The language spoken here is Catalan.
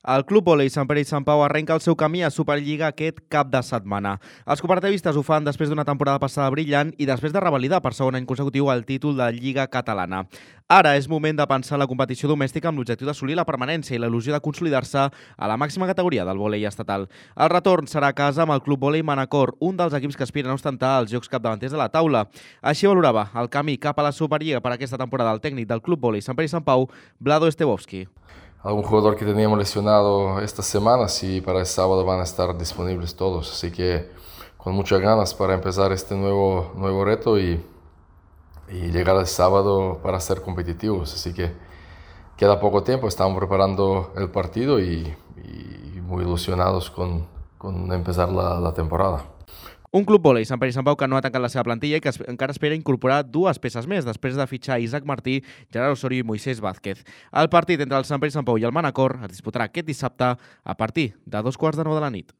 El Club Vòlei Sant Pere i Sant Pau arrenca el seu camí a Superliga aquest cap de setmana. Els cooperativistes ho fan després d'una temporada passada brillant i després de revalidar per segon any consecutiu el títol de Lliga Catalana. Ara és moment de pensar en la competició domèstica amb l'objectiu d'assolir la permanència i la il·lusió de consolidar-se a la màxima categoria del vòlei estatal. El retorn serà a casa amb el Club Vòlei Manacor, un dels equips que aspiren a ostentar els jocs capdavanters de la taula. Així valorava el camí cap a la Superliga per aquesta temporada el tècnic del Club Vòlei Sant Pere i Sant Pau, Vlado Estebovski. Algún jugador que teníamos lesionado esta semana, y para el sábado van a estar disponibles todos. Así que con muchas ganas para empezar este nuevo reto y llegar al sábado para ser competitivos. Así que queda poco tiempo, estamos preparando el partido y muy ilusionados con empezar la temporada. Un Club Vòlei Sant Pere i Sant Pau que no ha tancat la seva plantilla i que encara espera incorporar dues peces més després de fitxar Isaac Martí, Gerard Osorio i Moisés Vázquez. El partit entre el Sant Pere i Sant Pau i el Manacor es disputarà aquest dissabte a partir de 2:15 de la nit.